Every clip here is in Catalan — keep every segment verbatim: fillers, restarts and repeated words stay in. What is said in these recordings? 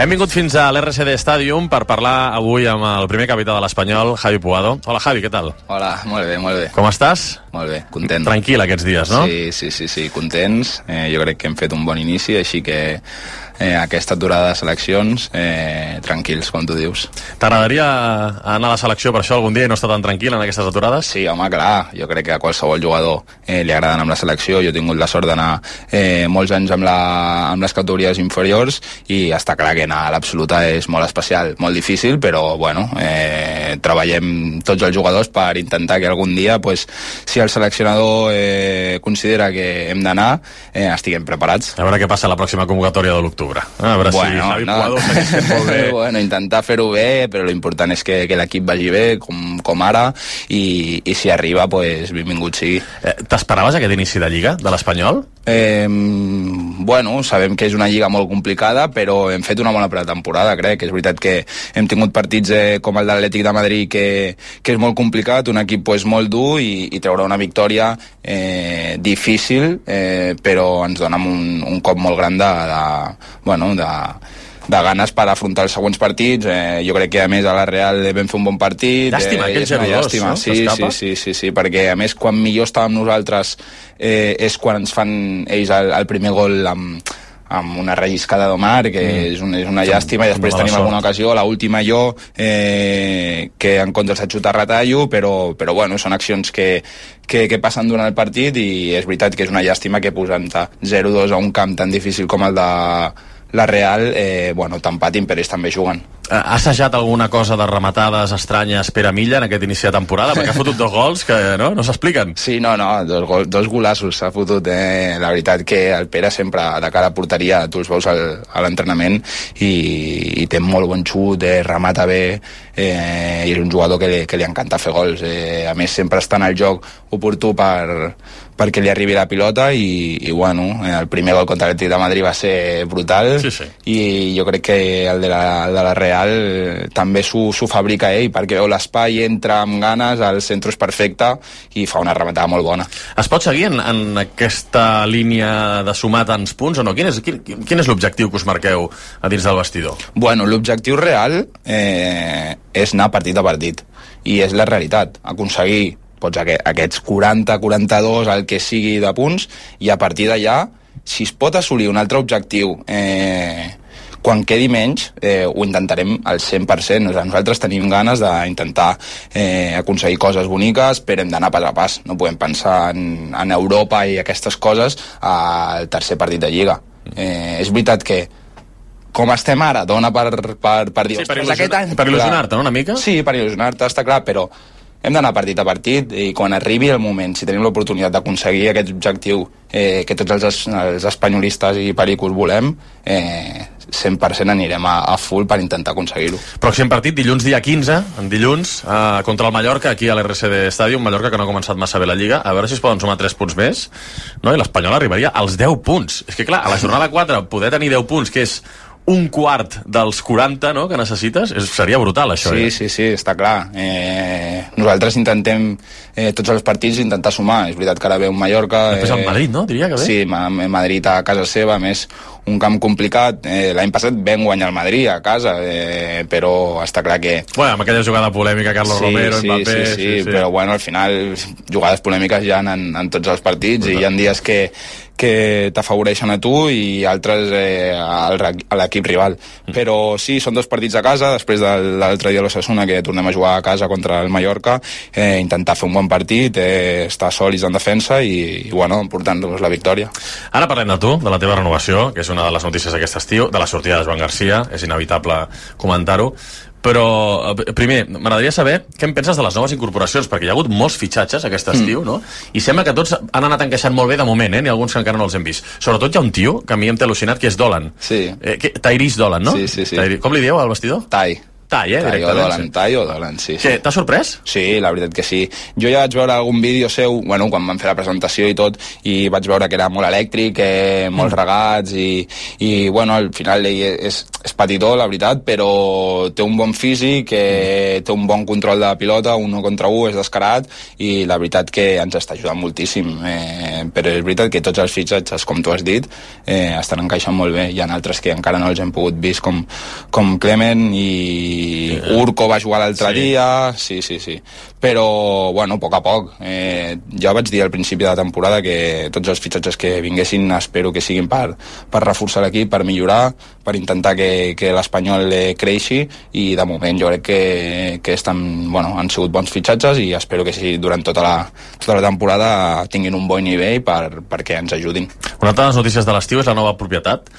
Hem vingut fins a l'R C D Stadium per parlar avui amb el primer capità de l'Espanyol, Javi Puado. Hola, Javi, què tal? Hola, molt bé, molt bé. Com estàs? Molt bé, content. Tranquil aquests dies, no? Sí, sí, sí, sí, contents. Eh, jo crec que hem fet un bon inici, així que eh, aquesta aturada de seleccions, eh, tranquils, com tu dius. T'agradaria anar a la selecció per això algun dia i no estar tan tranquil en aquestes aturades? Sí, home, clar, jo crec que a qualsevol jugador eh, li agrada anar amb la selecció. Jo he tingut la sort d'anar eh, molts anys amb, la, amb les categories inferiors i està clar que anar a l'absoluta és molt especial, molt difícil, però bueno, eh, treballem tots els jugadors per intentar que algun dia, pues, si el seleccionador eh, considera que hem d'anar, eh, estiguem preparats. A veure què passa a la pròxima convocatòria de l'octubre. A veure bueno, si Javi no. Puado segueix fent molt bé. Bueno, intentar fer-ho bé, però l'important és que, que l'equip vagi bé, com, com ara, i, i si arriba, pues, benvingut sigui. Eh, T'esperaves aquest inici de Lliga, de l'Espanyol? Eh, bueno, sabem que és una lliga molt complicada, però hem fet una bona pretemporada, crec. És veritat que hem tingut partits eh, com el de l'Atlètic de Madrid, que, que és molt complicat, un equip pues, molt dur, i, i treure una victòria eh, difícil, eh, però ens dona un, un cop molt gran de, de, bueno, de, de ganes per afrontar els següents partits. Eh, jo crec que a més a la Real vam fer un bon partit. Llàstima, eh, aquell zero dos, no? Sí, sí, sí, sí, sí, perquè a més quan millor estàvem nosaltres eh, és quan ens fan ells el, el primer gol amb, amb una relliscada d'Omar, que mm. és, un, és una llàstima, i després tenim alguna ocasió, la última jo, eh, que en comptes de xutar retallo, però, però bueno, són accions que, que, que passen durant el partit, i és veritat que és una llàstima que posant zero dos a un camp tan difícil com el de la Real, eh, bueno, t'empatin, però ells també juguen. Ha assajat alguna cosa de rematades estranyes Pere Milla en aquest inici de temporada? Perquè ha fotut dos gols que no, no s'expliquen. Sí, no, no, dos, gol, dos golassos s'ha fotut. Eh? La veritat que el Pere sempre de cara a porteria, tu els veus al, a l'entrenament, i, i té molt bon xut, eh, remata bé, eh, i és un jugador que li, que li encanta fer gols. Eh, a més, sempre està en el joc oportú per, perquè li arribi la pilota, i, i bueno, el primer gol contra l'Atlètic de Madrid va ser brutal, sí, sí. I jo crec que el de la, el de la Real també s'ho fabrica ell, perquè veu l'espai, entra amb ganes, el centre és perfecte i fa una rematada molt bona. Es pot seguir en, en aquesta línia de sumar tants punts o no? Quin és, quin, quin és l'objectiu que us marqueu a dins del vestidor? Bueno, l'objectiu real eh, és anar partit a partit, i és la realitat, aconseguir pots, aquests quaranta quaranta-dos, el que sigui de punts, i a partir d'allà, si es pot assolir un altre objectiu eh, quan quedi menys, eh, ho intentarem al cent per cent. Nosaltres tenim ganes d'intentar eh, aconseguir coses boniques, però hem d'anar pas a pas. No podem pensar en, en Europa i aquestes coses al tercer partit de Lliga. Eh, és veritat que com estem ara, dona per, per, per dir... Sí, per il·lusionar-te, per il·lusionar-te, no, una mica? Sí, per il·lusionar-te, està clar, però hem d'anar partit a partit, i quan arribi el moment, si tenim l'oportunitat d'aconseguir aquest objectiu eh, que tots els, els espanyolistes i pericos volem, eh, cent per cent anirem a, a full per intentar aconseguir-ho. Pròxim partit, dilluns dia quinze, en dilluns, eh, contra el Mallorca, aquí a l'R C D Stadium, Mallorca que no ha començat massa bé la Lliga, a veure si es poden sumar tres punts més, no? I l'Espanyol arribaria als deu punts. És que clar, a la jornada quatre poder tenir deu punts, que és un quart dels quaranta, no?, que necessites, és, seria brutal, això. Sí, ja. sí, sí, està clar. Eh, nosaltres intentem, eh, tots els partits, intentar sumar. És veritat que ara ve un Mallorca... Després el Madrid, no?, diria que ve. Sí, Madrid a casa seva, a més, un camp complicat. Eh, L'any passat vam guanyar el Madrid a casa, eh, però està clar que... Bueno, amb aquella jugada polèmica, Carlos sí, Romero, sí, Mbappé... Sí, sí, sí, sí, però bueno, al final, jugades polèmiques ja en, en tots els partits, i hi ha dies que que t'afavoreixen a tu i altres eh, al, a l'equip rival. Mm. Però sí, són dos partits a casa, després de l'altre dia a l'Osasuna, que tornem a jugar a casa contra el Mallorca, eh, intentar fer un bon partit, eh, estar sòlids en defensa i, i bueno, portant-nos la victòria. Ara parlem de tu, de la teva renovació, que és una de les notícies d'aquest estiu, de la sortida de Joan Garcia, és inevitable comentar-ho, però primer, m'agradaria saber què en penses de les noves incorporacions, perquè hi ha hagut molts fitxatges aquest estiu, mm. no? I sembla que tots han anat encaixant molt bé de moment, eh? N'hi ha alguns que encara no els hem vist. Sobretot hi ha un tio que a mi em té al·lucinat, que és Dolan. Sí. Eh, que, Tyrese Dolan, no? Sí, sí, sí. Tyri... Com li dieu al vestidor? Tai. tall, eh? Tall o dolen, tall o dolen, sí. Què, t'ha sorprès? Sí, la veritat que sí. Jo ja vaig veure algun vídeo seu, bueno, quan vam fer la presentació i tot, i vaig veure que era molt elèctric, eh, molts regats, i, i bueno, al final ell és, és petitó, la veritat, però té un bon físic, eh, té un bon control de pilota, un contra un, és descarat, i la veritat que ens està ajudant moltíssim. Eh, però és veritat que tots els fitxatges, com tu has dit, eh, estan encaixant molt bé. Hi ha altres que encara no els hem pogut vist, com, com Clement i Urco va jugar l'altre sí. dia, sí, sí, sí. Però, bueno, a poc a poc. Eh, ja vaig dir al principi de la temporada que tots els fitxatges que vinguessin espero que siguin per, per reforçar l'equip, per millorar, per intentar que, que l'Espanyol eh, creixi, i de moment jo crec que, que estan, bueno, han sigut bons fitxatges i espero que sí, durant tota la, tota la temporada tinguin un bon nivell per, perquè ens ajudin. Una altra de les notícies de l'estiu és la nova propietat.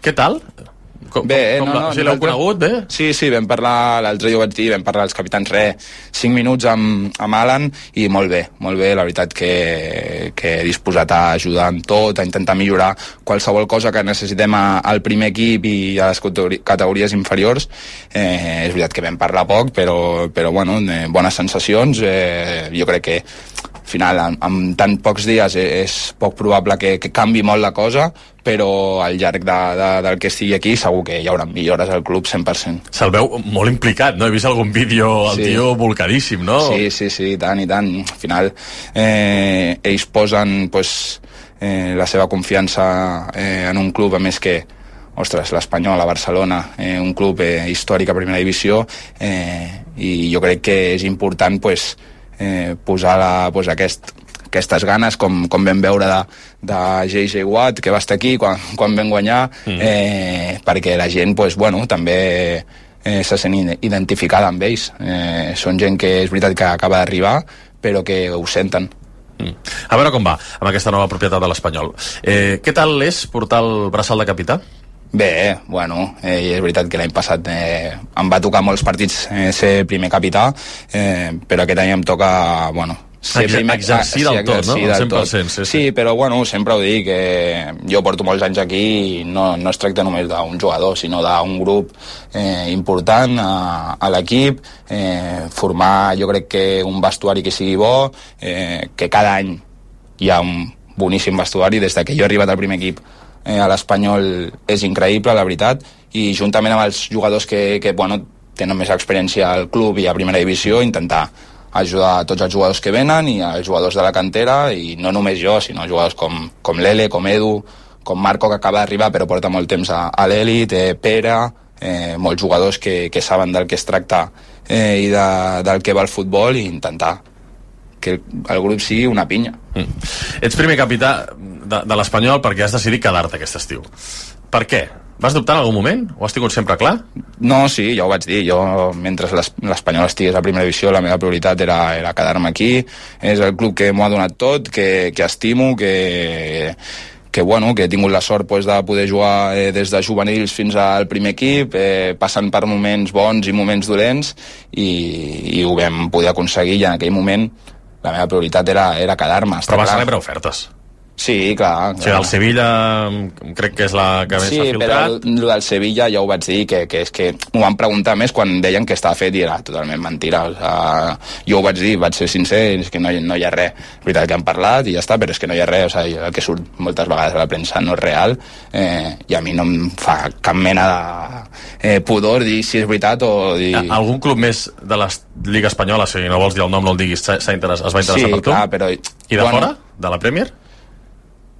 Què tal? Com, bé, com, no, com no, la, si l'heu conegut, bé? Sí, sí, vam parlar, l'altre dia ho vaig dir, vam parlar als capitans, re, cinc minuts amb, amb Alan, i molt bé, molt bé, la veritat que, que he disposat a ajudar amb tot, a intentar millorar qualsevol cosa que necessitem a, al primer equip i a les categories inferiors. Eh, és veritat que vam parlar poc, però, però bueno, eh, bones sensacions, eh, jo crec que al final, en, en tan pocs dies és poc probable que, que canvi molt la cosa, però al llarg de, de, del que estigui aquí segur que hi haurà millores al club cent per cent. Se'l veu molt implicat, no? He vist algun vídeo, el sí. tio volcadíssim, no? Sí, sí, sí, i tant, i tant. Al final, eh, ells posen pues, eh, la seva confiança eh, en un club, a més que ostres, l'Espanyol, a Barcelona, eh, un club eh, històric a primera divisió, eh, i jo crec que és important pues, eh, posar la, pues, aquest aquestes ganes, com, com vam veure de, de J J Watt, que va estar aquí quan, quan vam guanyar, mm. eh, perquè la gent, pues, bueno, també eh, se sent identificada amb ells. Eh, són gent que és veritat que acaba d'arribar, però que ho senten. Mm. A veure com va amb aquesta nova propietat de l'Espanyol. Eh, què tal és portar el braçal de capità? Bé, bueno, eh, és veritat que l'any passat eh, em va tocar molts partits eh, ser primer capità, eh, però aquest any em toca, bueno, ser primer, exercir del tot, no? El cent per cent, sí, sí. Sí, però bueno, sempre ho dic, que jo porto molts anys aquí i no, no es tracta només d'un jugador, sinó d'un grup eh, important a, a l'equip, eh, formar, jo crec que un vestuari que sigui bo, eh, que cada any hi ha un boníssim vestuari, des que jo he arribat al primer equip eh, a l'Espanyol és increïble, la veritat, i juntament amb els jugadors que, que bueno, tenen més experiència al club i a primera divisió, intentar ajudar a tots els jugadors que venen i als jugadors de la cantera, i no només jo, sinó jugadors com, com l'Ele, com Edu, com Marco, que acaba d'arribar però porta molt temps a, a l'elit, eh, Pere, eh, molts jugadors que, que saben del que es tracta eh, i de, del que va el futbol, i intentar que el, el grup sigui una pinya. Mm. Ets primer capità de, de l'Espanyol perquè has decidit quedar-te aquest estiu. Per què? Vas dubtar en algun moment? Ho has tingut sempre clar? No, sí, ja ho vaig dir. Jo, mentre l'Espanyol estigués a primera divisió, la meva prioritat era, era quedar-me aquí. És el club que m'ho ha donat tot, que, que estimo, que, que, bueno, que he tingut la sort pues, de poder jugar eh, des de juvenils fins al primer equip, eh, passant per moments bons i moments dolents, i, i ho vam poder aconseguir, i en aquell moment la meva prioritat era, era quedar-me. Però vas rebre ofertes. Sí, clar. O sigui, el Sevilla crec que és la que més sí, s'ha filtrat. Sí, però el del Sevilla ja ho vaig dir, que, que és que m'ho van preguntar més quan deien que estava fet i era totalment mentira. O sigui, jo ho vaig dir, vaig ser sincer, és que no, no hi ha res. És veritat que han parlat i ja està, però és que no hi ha res. O sigui, el que surt moltes vegades a la premsa no és real, eh, i a mi no em fa cap mena de eh, pudor dir si és veritat o dir... Algun club més de la Lliga Espanyola, si no vols dir el nom, no el diguis, s'ha interess... es va interessar sí, per tu? Clar, però... I de bueno... fora? De la Premier?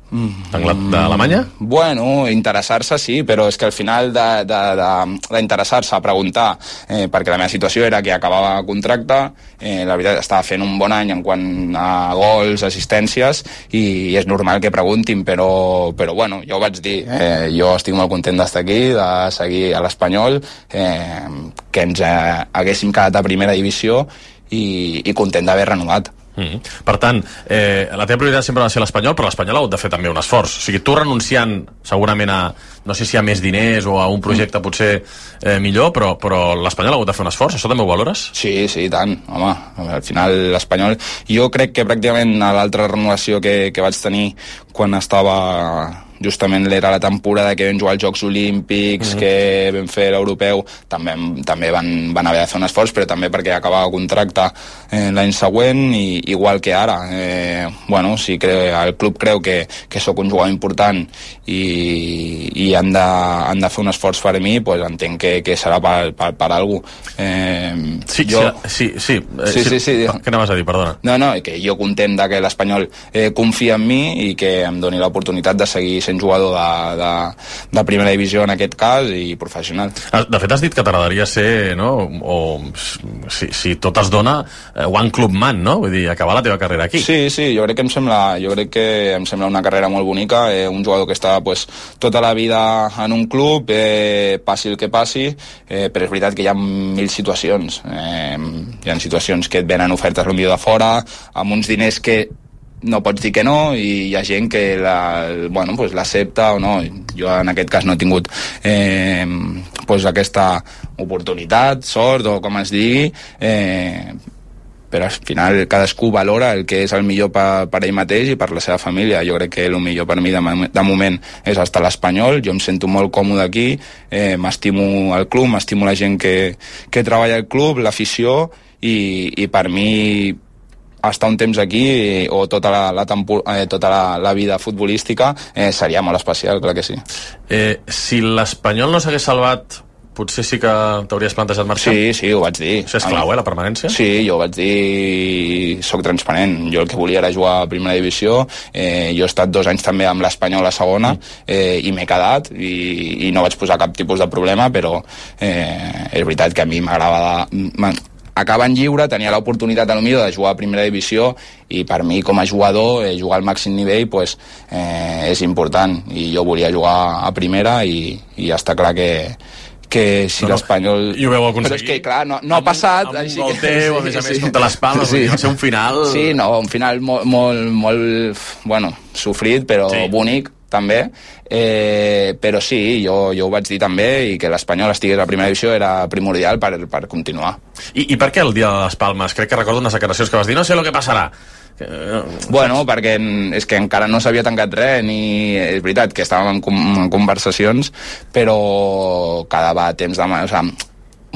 d'Alemanya? Bueno, interessar-se sí, però és que al final d'interessar-se a preguntar, eh, perquè la meva situació era que acabava contracte, eh, la veritat estava fent un bon any en quant a gols, assistències, i és normal que preguntin, però, però bueno, jo ho vaig dir, eh, jo estic molt content d'estar aquí, de seguir a l'Espanyol, eh, que ens eh, haguéssim quedat a primera divisió, i, i content d'haver renovat. Mm. Per tant, eh, la teva prioritat sempre va ser l'Espanyol, però l'Espanyol ha hagut de fer també un esforç. O sigui, tu renunciant segurament a no sé si hi ha més diners o a un projecte potser eh, millor, però, però l'Espanyol ha hagut de fer un esforç, això també ho valores? Sí, sí, tant, home, al final l'Espanyol, jo crec que pràcticament a l'altra renovació que, que vaig tenir quan estava justament era la temporada que vam jugar als Jocs Olímpics, mm-hmm. que vam fer l'Europeu, també, també van, van haver de fer un esforç, però també perquè acabava el contracte eh, l'any següent, i igual que ara. Eh, bueno, si cre, el club creu que, que sóc un jugador important i, i han, de, han de fer un esforç per mi, pues entenc que, que serà per, per, per algú. Eh, sí, jo... sí, sí, eh, sí, sí, sí, sí. Què anaves a dir, perdona? No, no, que jo content de que l'Espanyol eh, confia en mi i que em doni l'oportunitat de seguir sent jugador de, de, de primera divisió en aquest cas i professional. De fet has dit que t'agradaria ser, no? O si, si tot es dona, one club man, no? Vull dir, acabar la teva carrera aquí. Sí, sí, jo crec que em sembla, jo crec que em sembla una carrera molt bonica, eh, un jugador que està pues, tota la vida en un club, eh, passi el que passi, eh, però és veritat que hi ha mil situacions, eh, hi ha situacions que et venen ofertes potser de fora, amb uns diners que no pots dir que no, i hi ha gent que la, bueno, pues l'accepta o no. Jo en aquest cas no he tingut eh, pues aquesta oportunitat, sort o com es digui, eh, però al final cadascú valora el que és el millor per, per ell mateix i per la seva família. Jo crec que el millor per mi de, de moment és estar a l'Espanyol, jo em sento molt còmode aquí, eh, m'estimo el club, m'estimo la gent que, que treballa al club, l'afició, i, i per mi estar un temps aquí o tota la, la, tempor, eh, tota la, la vida futbolística eh, seria molt especial, clar que sí. Eh, si l'Espanyol no s'hagués salvat, potser sí que t'hauries plantejat marxar? Sí, sí, ho vaig dir. Això és clau, eh, la permanència? Sí, jo ho vaig dir, soc transparent. Jo el que volia era jugar a primera divisió, eh, jo he estat dos anys també amb l'Espanyol a segona, eh, i m'he quedat, i, i no vaig posar cap tipus de problema, però eh, és veritat que a mi m'agradava acabant lliure, tenia l'oportunitat a lo millor de jugar a primera divisió, i per mi com a jugador eh, jugar al màxim nivell pues, eh, és important, i jo volia jugar a primera, i, i està clar que que si no, l'Espanyol... I ho veu aconseguir. Però és que, clar, no, no ha passat... Amb un gol teu, a més a més, contra les Palmes, sí. Va ser un final... Sí, no, un final molt, molt, molt bueno, sofrit, però sí. Bonic, també, eh, però sí, jo, jo ho vaig dir també, i que l'Espanyol estigués a primera divisió era primordial per, per continuar. I, I per què el dia de les Palmes? Crec que recordo unes declaracions que vas dir, no sé el que passarà. Bueno, perquè és que encara no s'havia tancat res, ni és veritat que estàvem en, en conversacions, però quedava temps de... O sigui,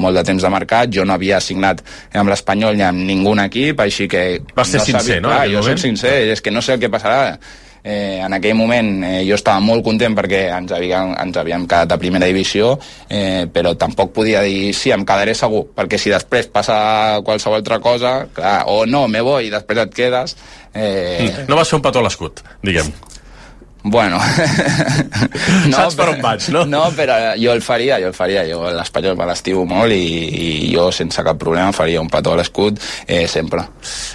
molt de temps de mercat, jo no havia signat amb l'Espanyol ni amb ningú equip, així que... Vas ser no sincer, sabia, no? Clar, jo soc sincer, és que no sé el que passarà. Eh, en aquell moment eh, jo estava molt content perquè ens havíem, ens havíem quedat a primera divisió, eh, però tampoc podia dir sí, em quedaré segur, perquè si després passa qualsevol altra cosa, clar, o no, me voy i després et quedes... Eh... No va ser un petó a l'escut, diguem. Bueno, no, saps per on vaig, no? No, però jo el faria, jo el faria, jo l'Espanyol me l'estimo molt, i, i jo sense cap problema faria un petó a l'escut eh, sempre.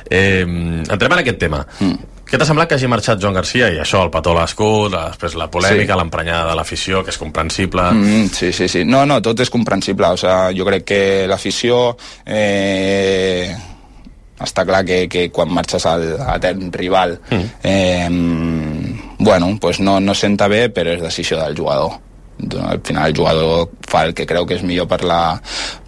Eh, entrem en aquest tema. Mm. Què t'ha semblat que hagi marxat Joan Garcia, i això, el petó a l'escut, després la polèmica, sí. L'emprenyada de l'afició, que és comprensible... Mm, sí, sí, sí. No, no, tot és comprensible. O sea, jo crec que l'afició... Eh, està clar que, que quan marxes al etern rival mm. eh, bueno, pues no, no senta bé, però és decisió del jugador. Al final el jugador fa el que creu que és millor per la,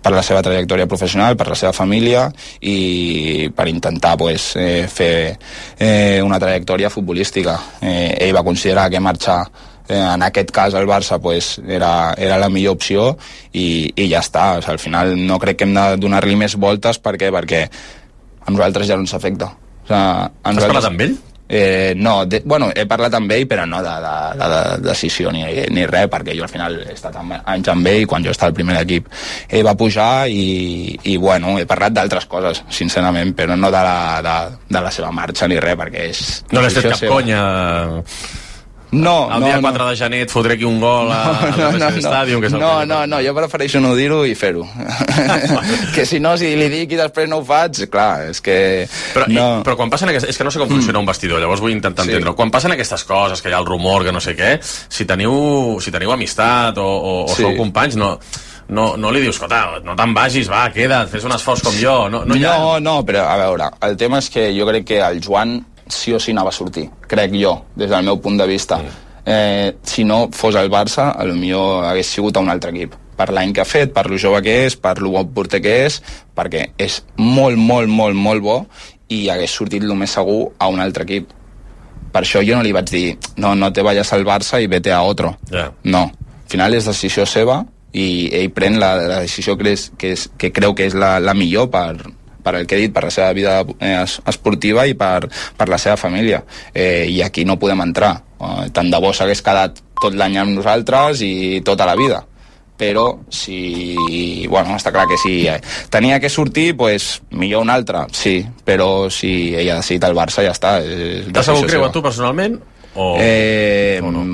per la seva trajectòria professional, per la seva família, i per intentar pues, eh, fer eh, una trajectòria futbolística. Eh, ell va considerar que marxar eh, en aquest cas el Barça pues, era, era la millor opció, i, i ja està. O sigui, al final no crec que hem de donar-li més voltes. Per què? Perquè a nosaltres ja no ens afecta. O sigui, a Has nosaltres... parlat amb ell? Eh, no, de, bueno, he parlat amb ell, però no de, de, de, de decisió ni, ni res, perquè jo al final he estat anys amb ell quan jo estava al primer equip. Ell va pujar i, i bueno, he parlat d'altres coses, sincerament, però no de la, de, de la seva marxa ni res, perquè és... No l'has fet cap seva. Conya... No, el no, dia quatre no. de gener et fotré aquí un gol a, no, al no, no, Stadium, que és el no, que... no, no, jo prefereixo no dir-ho i fer-ho. Que si no, si li dic i després no ho faig, clar, és que... Però, no. i, però quan passen aquestes... És que no sé com funciona mm. un vestidor, llavors vull intentar sí. entendre-ho. Quan passen aquestes coses, que hi ha el rumor, que no sé què, si teniu, si teniu amistat o, o, o sí. sou companys, no... No, no li dius, escolta, no te'n vagis, va, queda't, fes un esforç com jo. No, no, ha... no, no, però a veure, el tema és que jo crec que el Joan sí o sí anava a sortir, crec jo, des del meu punt de vista. Mm. eh, si no fos el Barça, potser hagués sigut a un altre equip, per l'any que ha fet, per lo jove que és, per lo bon porter que és, perquè és molt, molt, molt, molt bo, i hagués sortit el més segur a un altre equip. Per això jo no li vaig dir, no, no te vayas al Barça i vete a otro. Yeah. No, al final és decisió seva i ell pren la, la decisió que, és, que, és, que creu que és la, la millor per, per el que he dit, per la seva vida eh, esportiva i per, per la seva família. Eh, I aquí no podem entrar. Eh, tant de bo s'hagués quedat tot l'any amb nosaltres i tota la vida. Però si, bueno, està clar que si tenia que sortir, pues, millor un altre, sí, però si ella ha decidit el Barça ja està. T'has sabut creu a tu personalment? O, eh, o no?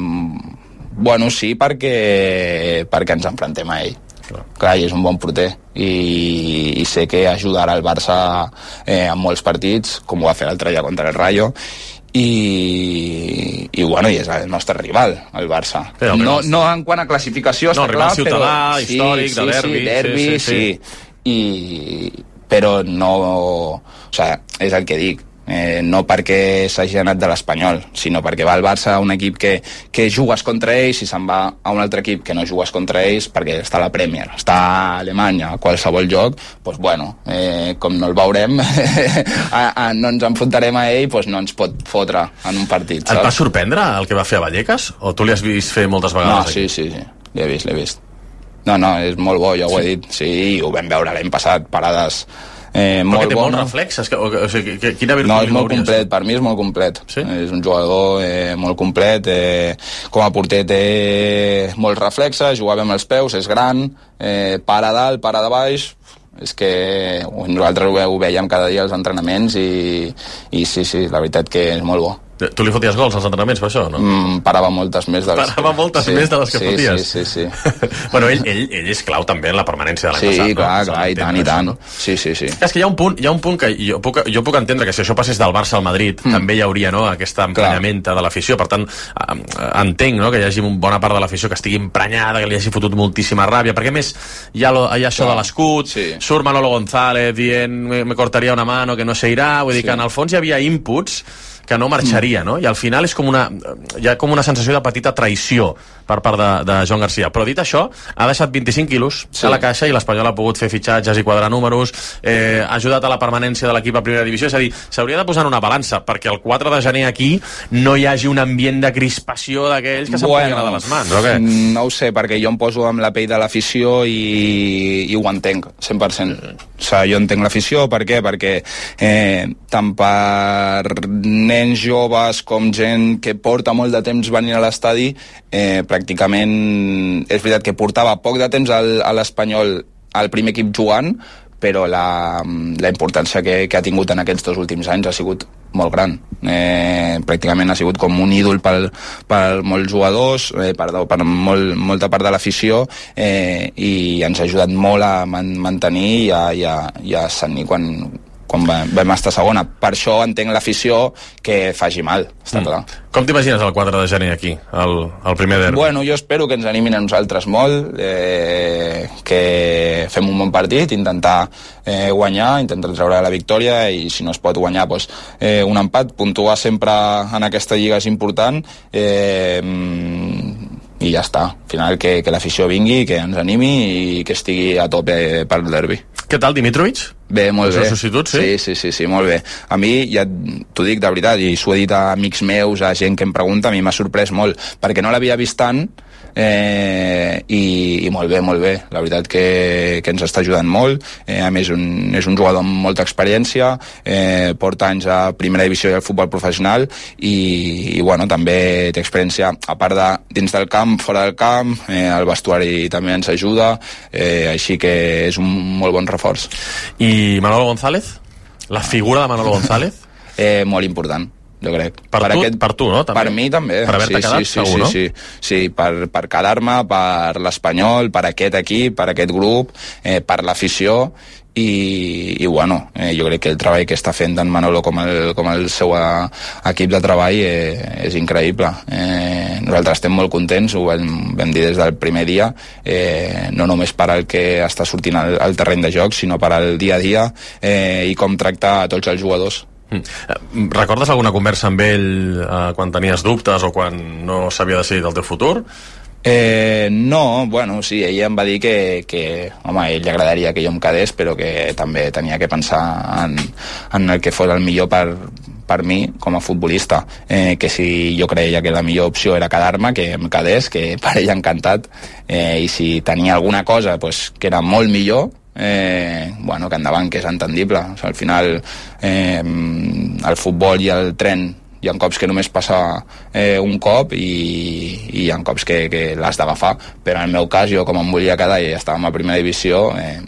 Bueno, sí, perquè, perquè ens enfrontem a ell. Clar. Clar, i és un bon porter i, i sé que ajudarà el Barça eh, en molts partits, com ho va fer l'altre dia contra el Rayo, i, i bueno, i és el nostre rival, el Barça. Però, no, no en quant a classificació, no, està clar, ciutadà, però... històric, sí, de derbi. Sí, derbi, sí, sí, sí. sí. I, però no... O sigui, és el que dic. Eh, no perquè s'hagi anat de l'Espanyol, sinó perquè va al Barça, un equip que, que jugues contra ells, i se'n va a un altre equip que no jugues contra ells perquè està a la Premier, està a Alemanya, a qualsevol joc, doncs bueno, eh, com no el veurem, a, a, no ens enfrontarem a ell, doncs no ens pot fotre en un partit, saps? Et va sorprendre el que va fer a Vallecas? O tu li has vist fer moltes vegades? No, sí, sí, sí, l'he vist, l'he vist. No, no, és molt bo, ja ho he dit, sí, ho vam veure l'any passat, parades... Eh, però que té bona. molts reflexes, que, o, o sigui, que, quina virtut no, és molt complet, per mi és molt complet, sí? És un jugador eh, molt complet, eh, com a porter té molts reflexes, jugava amb els peus, és gran, eh, para dalt, para de baix, és que nosaltres ho, ho veiem cada dia als entrenaments i, i sí, sí, la veritat que és molt bo. Tu li foties gols als entrenaments per això, no? Mm, parava moltes més de les Parava moltes sí, més de les que sí, foties? Sí, sí, sí. Bueno, ell, ell, ell és clau també en la permanència de l'any sí, passat, no? Sí, clar, no? clar, i tant, i tant. No? Sí, sí, sí. És que hi ha un punt, hi ha un punt que jo puc, jo puc entendre que si això passés del Barça al Madrid mm. també hi hauria, no?, aquesta emprenyamenta de l'afició. Per tant, entenc, no?, que hi hagi una bona part de l'afició que estigui emprenyada, que li hagi fotut moltíssima ràbia, perquè a més hi ha, lo, hi ha això clar. De l'escut, sí. Surt Manolo González dient me, me cortaria una mano que no se irà, vull dir sí. Que en el fons hi havia inputs que no marxaria, no? I al final és com una, hi ha com una sensació de petita traïció per part de, de Joan Garcia. Però dit això, ha deixat vint-i-cinc quilos sí. A la caixa i l'Espanyol ha pogut fer fitxatges i quadrar números, eh, ha ajudat a la permanència de l'equip a primera divisió, és a dir, s'hauria de posar en una balança, perquè el quatre de gener aquí no hi hagi un ambient de crispació d'aquells que se'n bueno, poden anar de les mans, o què? No ho sé, perquè jo em poso amb la pell de l'afició i, i ho entenc, cent per cent. O sigui, jo entenc l'afició, per què? Perquè eh, tant per nens joves com gent que porta molt de temps venint a l'estadi, eh, pràcticament és veritat que portava poc de temps al, a l'Espanyol al primer equip jugant, però la, la importància que, que ha tingut en aquests dos últims anys ha sigut molt gran. Eh, pràcticament ha sigut com un ídol per, per molts jugadors, eh, perdó, per molt, molta part de l'afició, eh, i ens ha ajudat molt a man, mantenir i a, i a, i a ascendir quan, quan vam estar segona. Per això entenc l'afició que faci mal, està mm. clar. Com t'imagines el quatre de gener aquí, el, el primer derbi? Bueno, jo espero que ens animin a nosaltres molt, eh, que fem un bon partit, intentar eh, guanyar, intentar treure la victòria, i si no es pot guanyar, doncs, eh, un empat. Puntuar sempre en aquesta lliga és important, eh, i ja està. Al final que, que l'afició vingui, que ens animi i que estigui a tope per el derbi. Què tal, Dimitrovic? Bé, molt bé. Substitut, sí? Sí, sí, sí, sí, molt bé. A mi, ja t'ho dic de veritat, i s'ho he dit a amics meus, a gent que em pregunta, a mi m'ha sorprès molt, perquè no l'havia vist tant, eh, i, i molt bé, molt bé. La veritat que, que ens està ajudant molt. Eh, a més, un, és un jugador amb molta experiència, eh, porta anys a primera divisió i al futbol professional, i, i bueno, també té experiència, a part de dins del camp, fora del camp, eh, el vestuari també ens ajuda, eh, així que és un molt bon reforç. I Manolo González? La figura de Manolo González? eh, molt important, jo crec. Per, per, tu, aquest, per tu, no? També. Per mi també. Per haver-te sí, quedat, sí, segur, sí, no? Sí, sí, sí, per, per quedar-me, per l'Espanyol, per aquest equip, per aquest grup, eh, per l'afició, i, i bueno, eh, jo crec que el treball que està fent tant Manolo com el, com el seu a, equip de treball eh, és increïble. Eh, nosaltres estem molt contents, ho vam, vam dir des del primer dia, eh, no només per al que està sortint al, al terreny de joc, sinó per al dia a dia, eh, i com tractar a tots els jugadors. Mm. Recordes alguna conversa amb ell eh, quan tenies dubtes o quan no s'havia decidit el teu futur? Eh, no, bueno, sí, ell em va dir que, que home, a ell li agradaria que jo em quedés, però que també tenia que pensar en, en el que fos el millor per, per mi com a futbolista, eh, que si jo creia que la millor opció era quedar-me, que em quedés, que per ell encantat, eh, i si tenia alguna cosa pues, que era molt millor, eh, bueno, que endavant, que és entendible. O sigui, al final eh, el futbol i el tren hi ha cops que només passa eh, un cop i, i hi ha cops que, que l'has d'agafar, però en el meu cas jo com em volia quedar i estàvem a primera divisió, eh,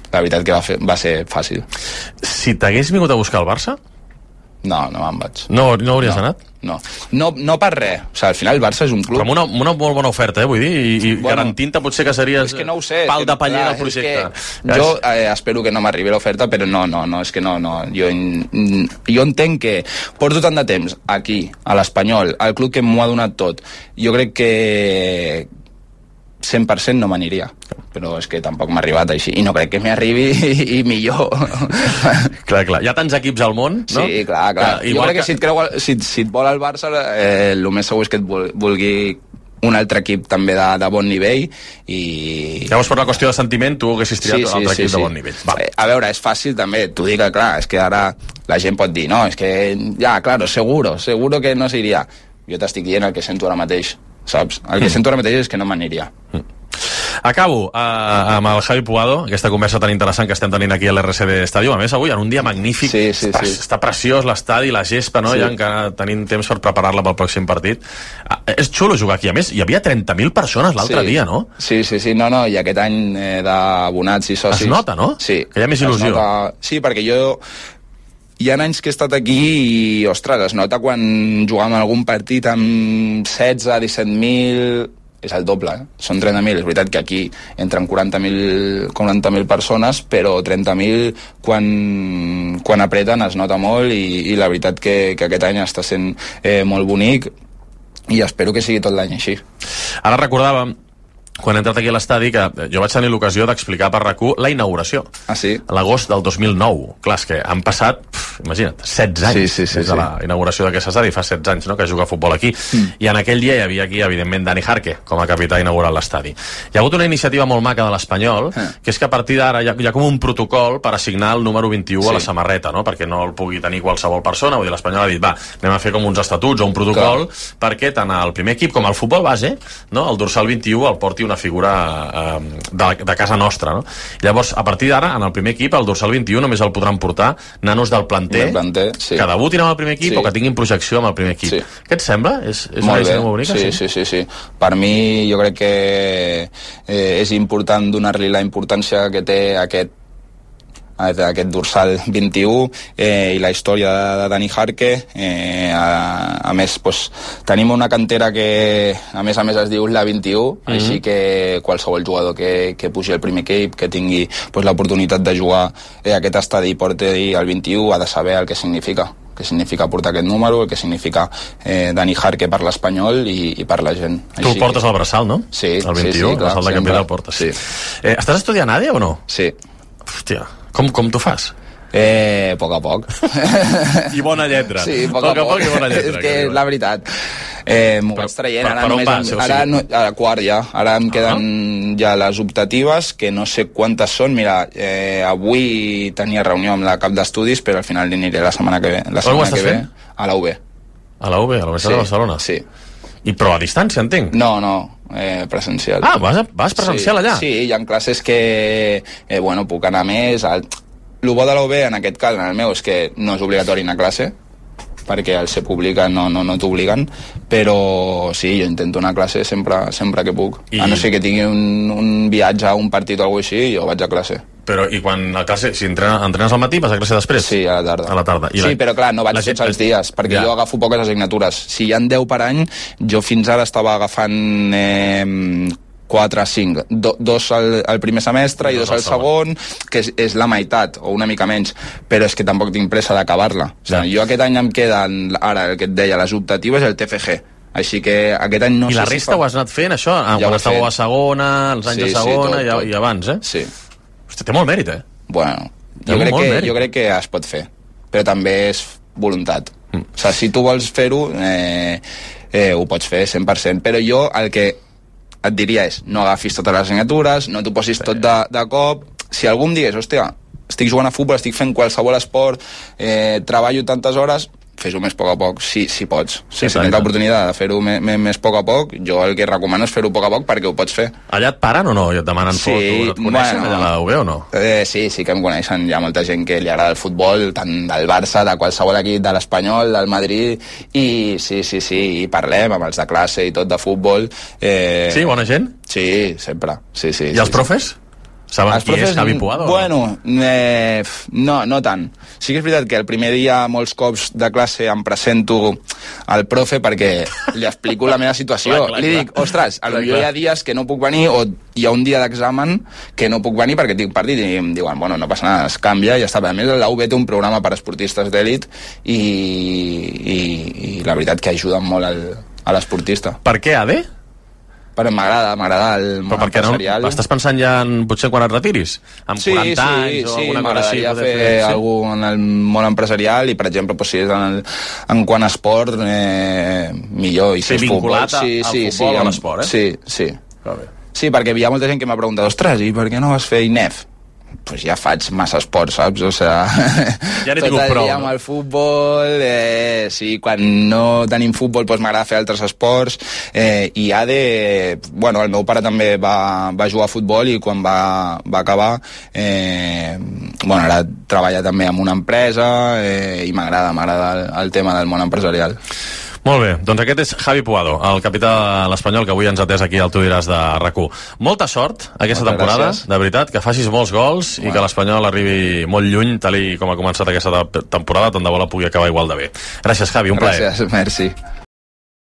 la veritat que va, fer, va ser fàcil. Si t'hagués vingut a buscar el Barça? No, no me'n vaig. No, no hauries no, anat? No. no, no per res. O sigui, al final el Barça és un club... Però amb una, una molt bona oferta, eh, vull dir, i, i bueno, garantint-te potser que series és que no ho sé, pal que, de paller clar, del projecte. Jo eh, espero que no m'arribi l'oferta, però no, no, no, és que no, no. Jo, jo entenc que porto tant de temps aquí, a l'Espanyol, al club que m'ho ha donat tot. Jo crec que cent per cent no m'aniria, però és que tampoc m'ha arribat així, i no crec que m'arribi i, i millor. Clar, clar, hi ha tants equips al món, no? Sí, clar, clar. Que, jo crec que, que... Si, et creu, si, si et vol el Barça, eh, el més segur és que et vulgui un altre equip també de, de bon nivell i... Llavors, per una qüestió de sentiment, tu haguessis triat sí, sí, un altre sí, equip sí. de bon nivell. Va. A veure, és fàcil també, t'ho dic, clar, és que ara la gent pot dir, no, és que, ja, claro, seguro, seguro que no s'iria. Jo t'estic dient el que sento ara mateix, saps? El que mm. sento ara mateix és que no m'aniria. Mm. Acabo uh, amb el Javi Puado, aquesta conversa tan interessant que estem tenint aquí a l'R C D Stadium, a més avui en un dia magnífic, sí, sí, està, sí. està preciós l'estadi, la gespa, no? Sí. Ja encara tenim temps per preparar-la pel pròxim partit. Uh, és xulo jugar aquí, a més hi havia trenta mil persones l'altre sí. dia, no? Sí, sí, sí, no, no, i aquest any eh, d'abonats i socis... Es nota, no? Sí. Que hi ha més il·lusió. Nota... Sí, perquè jo... Hi ha anys que he estat aquí i, ostres, es nota quan jugàvem algun partit amb setze, disset mil... És el doble, eh? Són trenta mil. És veritat que aquí entren quaranta mil persones, però trenta mil quan, quan apreten es nota molt i, i la veritat que, que aquest any està sent eh, molt bonic i espero que sigui tot l'any així. Ara recordàvem quan he entrat aquí a l'estadi, que jo vaig tenir l'ocasió d'explicar per RAC u la inauguració. Ah, sí? L'agost del dos mil nou. Clar, és que han passat, pf, imagina't, setze anys sí, sí, sí, des de sí. la inauguració d'aquest estadi, fa setze anys, no?, que juga a futbol aquí. Mm. I en aquell dia hi havia aquí, evidentment, Dani Jarque, com a capità inaugural l'estadi. Hi ha hagut una iniciativa molt maca de l'Espanyol, eh. que és que a partir d'ara hi, hi ha com un protocol per assignar el número vint-i-u sí. a la samarreta, no?, perquè no el pugui tenir qualsevol persona. Vull dir, l'Espanyol ha dit, va, anem a fer com uns estatuts o un protocol, clar, perquè tant el primer equip com el futbol base, no?, el dorsal vint-i-u el porti una figura De, de casa nostra, no? Llavors, a partir d'ara, en el primer equip, el dorsal vint-i-u només el podran portar nanos del planter, planter sí. que debutin amb el primer equip sí. o que tinguin projecció amb el primer equip. Sí. Què et sembla? És, és una idea molt bonica? Sí, sí, sí, sí. Per mi, jo crec que eh, és important donar-li la importància que té aquest aquest dorsal vint-i-u eh, i la història de, de Dani Jarque. Eh, a, a més, pues, tenim una cantera que a més a més es diu la vint-i-u, mm-hmm. així que qualsevol jugador que, que pugi al primer equip, que tingui pues, l'oportunitat de jugar eh, aquest estadi i porti el vint-i-u, ha de saber el que significa que significa portar aquest número, el que significa eh, Dani Jarque per l'Espanyol i, i per la gent. Tu el portes al braçal, no? Sí, el vint-i-u, sí, sí, clar, el braçal de capità el portes. Sí. Eh, estàs estudiant A D E o no? Sí. Hòstia, com, com t'ho fas? Eh, a poc a poc. I bona lletra. Sí, a poc a, poc, a poc i bona lletra. És que és la veritat. Eh, M'ho vaig traient. Per, ara, per només, pas, ara, no, ara quart ja. Ara em queden uh-huh. ja les optatives, que no sé quantes són. Mira, eh, avui tenia reunió amb la cap d'estudis, però al final aniré la setmana que ve. La setmana que ve a la U B. A la U B, a la Universitat sí, de Barcelona? Sí. I però a distància, entenc? No, no, eh, presencial. Ah, vas, vas presencial sí, allà? Sí, hi ha classes que, eh, bueno, puc anar més... Al... El bo de la U B, en aquest cas, en el meu, és que no és obligatori anar a classe, perquè al ser pública no, no, no t'obliguen, però sí, jo intento anar a classe sempre, sempre que puc. I... A no ser que tingui un, un viatge a un partit o alguna cosa així, jo vaig a classe. Però, i quan a classe, si entrenes, entrenes al matí, vas a classe després? Sí, a la tarda. A la tarda. I sí, la... però clar, no vaig tots els dies, perquè ja. jo agafo poques assignatures. Si hi ha deu per any, jo fins ara estava agafant... Eh, quatre a cinc, Do, dos al, al primer semestre i dos, dos al segon, que és, és la meitat, o una mica menys, però és que tampoc tinc pressa d'acabar-la. O sigui, jo aquest any em queden, ara, el que et deia, les optatives i el T F G. Així que aquest any no I sé la resta si fa... ho has anat fent, això? Ja quan estàveu a segona, els anys sí, de segona sí, tot, tot. I, i abans, eh? Sí. Hosti, té molt mèrit, eh? Bueno, jo crec, que, jo crec que es pot fer. però també és voluntat. Mm. O sigui, si tu vols fer-ho, eh, eh, ho pots fer cent per cent, però jo el que et diria és no agafis totes les assignatures, no t'ho posis tot de, de cop. Si algú em digués, hòstia, estic jugant a futbol, estic fent qualsevol esport, eh, treballo tantes hores, fes-ho més a poc a poc, si, si pots. Si, si tens l'oportunitat de fer-ho més, més a poc a poc, jo el que recomano és fer-ho a poc a poc perquè ho pots fer. Allà et paren o no? I et demanen sí, fotos? Et coneixen bueno, allà a la U B o no? Eh, sí, sí que em coneixen. Hi ha molta gent que li agrada el futbol, tant del Barça, de qualsevol equip, de l'Espanyol, del Madrid, i sí, sí, sí, i parlem amb els de classe i tot de futbol. Eh... Sí, bona gent? Sí, sempre. Sí, sí, I sí, els profes? Sí. Saben els qui profes, és Javi Puado? Bueno, eh, no, no tant. Sí que és veritat que el primer dia molts cops de classe em presento al profe perquè li explico la meva situació. Clar, clar, li dic, ostres, potser hi ha dies que no puc venir o hi ha un dia d'examen que no puc venir perquè tinc partit i em diuen, bueno, no passa nada, es canvia i ja està. A més, la U B té un programa per a esportistes d'èlit i, i, i la veritat que ajuden molt al, a l'esportista. Per què A D? Però m'agrada, m'agrada el món empresarial. No, estàs pensant ja en potser quan et retiris? Amb sí, quaranta sí, anys o sí, alguna cosa així? M'agradaria fer, fer sí? alguna en el món empresarial i, per exemple, doncs, si és en, el, en quant a esport, eh, millor. I si sí, és vinculat futbol, sí, al sí, futbol sí, o a l'esport, eh? Sí, sí. Sí, perquè hi ha molta gent que m'ha preguntat, ostres, i per què no vas fer I N E F? Pues ja faig massa esport, saps? O sea, ja tot el prou, dia no? amb el futbol, eh, sí, quan no tenim futbol pues m'agrada fer altres esports, eh, i A D, bueno, el meu pare també va, va jugar a futbol i quan va, va acabar, eh, bueno, ara treballa també en una empresa eh, i m'agrada, m'agrada el, el tema del món empresarial. Molt bé, doncs aquest és Javi Puado, el capità de l'Espanyol, que avui ens ha atès aquí al Tu diràs de RAC u. Molta sort aquesta Moltes temporada, gràcies. De veritat, que facis molts gols bueno. I que l'Espanyol arribi molt lluny, tal i com ha començat aquesta temporada, tant de bo la pugui acabar igual de bé. Gràcies, Javi, un plaer. Gràcies, merci.